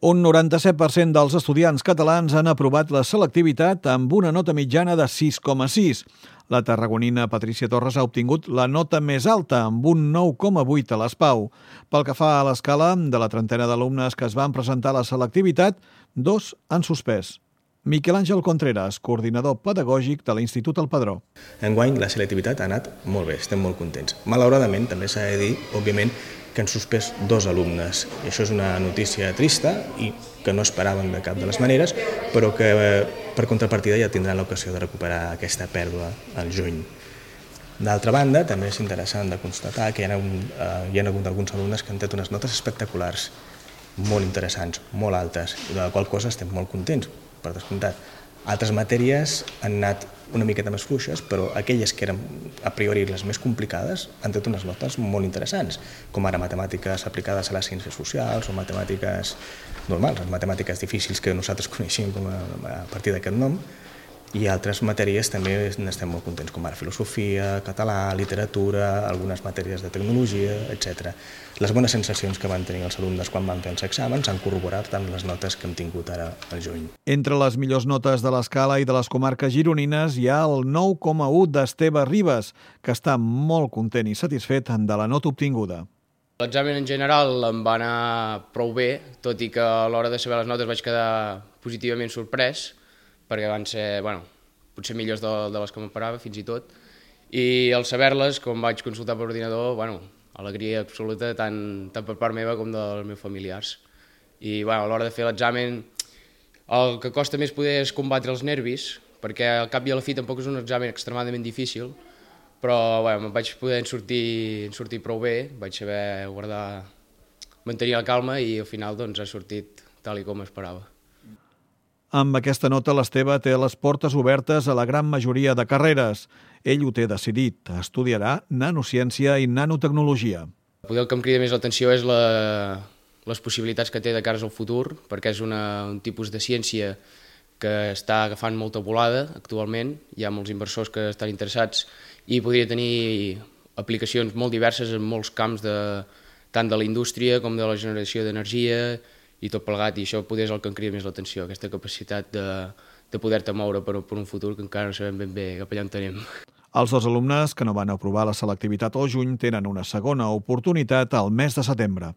Un 97% dels estudiants catalans han aprovat la selectivitat amb una nota mitjana de 6,6. La tarragonina Patricia Torres ha obtingut la nota més alta, amb un 9,8 a l'ESPAU. Pel que fa a l'escala, de la trentena d'alumnes que es van presentar a la selectivitat, 2 han suspès. Miquel Àngel Contreras, coordinador pedagògic de l'Institut El Padró. Enguany la selectivitat ha anat molt bé, estem molt contents. Malauradament, també s'ha de dir, òbviament, que han suspès 2 alumnes. I això és una notícia trista i que no esperàvem de cap de les maneres, però que per contrapartida ja tindran l'ocasió de recuperar aquesta pèrdua al juny. D'altra banda, també és interessant de constatar que hi ha hagut alguns alumnes que han tret unes notes espectaculars, molt interessants, molt altes, i de la qual cosa estem molt contents, per descomptat. Altres matèries han anat una miqueta més fluixes, però aquelles que eren a priori les més complicades han tret unes notes molt interessants, com ara matemàtiques aplicades a les ciències socials o matemàtiques normals, les matemàtiques difícils que nosaltres coneixem a partir d'aquest nom, i altres matèries també n'estem molt contents, com ara filosofia, català, literatura, algunes matèries de tecnologia, etc. Les bones sensacions que van tenir els alumnes quan van fer els exàmens han corroborat tant les notes que hem tingut ara al juny. Entre les millors notes de l'escala i de les comarques gironines hi ha el 9,1 d'Esteve Ribes, que està molt content i satisfet de la nota obtinguda. L'examen en general em va anar prou bé, tot i que a l'hora de saber les notes vaig quedar positivament sorprès, perquè van ser, potser millors de les que m'esperava, fins i tot. I al saber-les, com vaig consultar per ordinador, alegria absoluta, tant per part meva com dels meus familiars. I a l'hora de fer l'examen, el que costa més poder és combatre els nervis, perquè al cap i a la fi tampoc és un examen extremadament difícil, però me'n vaig poder sortir prou bé, vaig saber mantenir la calma i al final ha sortit tal com esperava. Amb aquesta nota, l'Esteve té les portes obertes a la gran majoria de carreres. Ell ho té decidit. Estudiarà nanociència i nanotecnologia. Potser el que em crida més l'atenció és les possibilitats que té de cara al futur, perquè és un tipus de ciència que està agafant molta volada actualment. Hi ha molts inversors que estan interessats i podria tenir aplicacions molt diverses en molts camps, tant de la indústria com de la generació d'energia, i tot plegat, i això poder és el que em crida més l'atenció, aquesta capacitat de poder-te moure per un futur que encara no sabem ben bé cap allà on tenim. Els 2 alumnes que no van aprovar la selectivitat al juny tenen una segona oportunitat al mes de setembre.